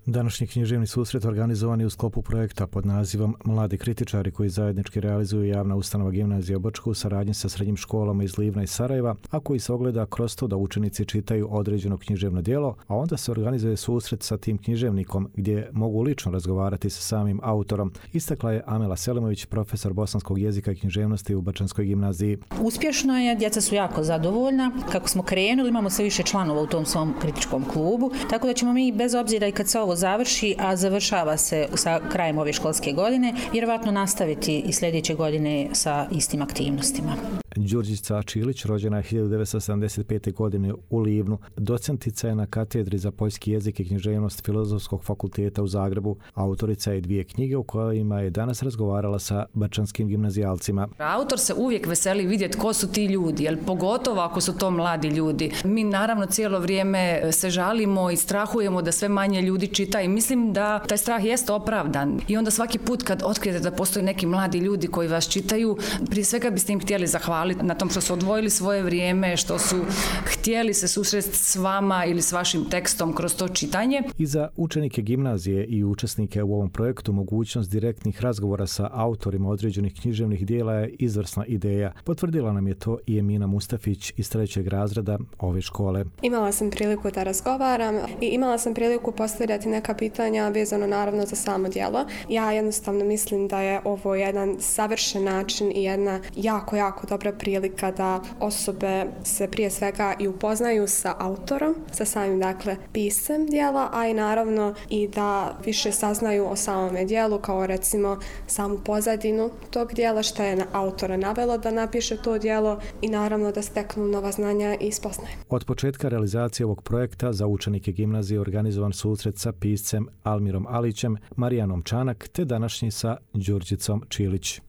Današnji književni susret organizovan je u sklopu projekta pod nazivom Mladi kritičari koji zajednički realizuju javna ustanova Gimnazija Brčko u saradnji sa srednjim školama iz Livna i Sarajeva, a koji se ogleda kroz to da učenici čitaju određeno književno djelo, a onda se organizuje susret sa tim književnikom gdje mogu lično razgovarati sa samim autorom, istakla je Amela Selimović, profesor bosanskog jezika i književnosti u Brčanskoj gimnaziji. Uspješno je, djeca su jako zadovoljna. Kako smo krenuli, imamo sve više članova u tom svom kritičkom klubu, tako da ćemo mi bez obzira i kad se ovo završi, a završava se sa krajem ove školske godine, vjerovatno nastaviti i sljedeće godine sa istim aktivnostima. Đurđica Čilić, rođena je 1975. godine u Livnu, docentica je na katedri za poljski jezik i književnost Filozofskog fakulteta u Zagrebu, autorica je 2 knjige u kojima je danas razgovarala sa brčanskim gimnazijalcima. Autor se uvijek veseli vidjeti ko su ti ljudi, jer pogotovo ako su to mladi ljudi. Mi naravno cijelo vrijeme se žalimo i strahujemo da sve manje ljudi čita i mislim da taj strah jest opravdan. I onda svaki put kad otkrijete da postoje neki mladi ljudi koji vas čitaju, prije svega biste im htjeli zahvaliti na tom što su odvojili svoje vrijeme, što su htjeli se susresti s vama ili s vašim tekstom kroz to čitanje. I za učenike gimnazije i učesnike u ovom projektu mogućnost direktnih razgovora sa autorima određenih književnih dijela je izvrsna ideja. Potvrdila nam je to i Emina Mustafić iz 3. razreda ove škole. Imala sam priliku da razgovaram i imala sam priliku postavljati neka pitanja vezano naravno za samo djelo. Ja jednostavno mislim da je ovo jedan savršen način i jedna jako dobra prilika da osobe se prije svega i upoznaju sa autorom, sa samim piscem djela, a i naravno i da više saznaju o samome djelu, kao recimo samu pozadinu tog djela, što je autora navelo da napiše to djelo i naravno da steknu nova znanja i spoznaje. Od početka realizacije ovog projekta za učenike gimnazije organizovan susret sa piscem Almirom Alićem, Marijanom Čanak te današnji sa Đurđicom Čilić.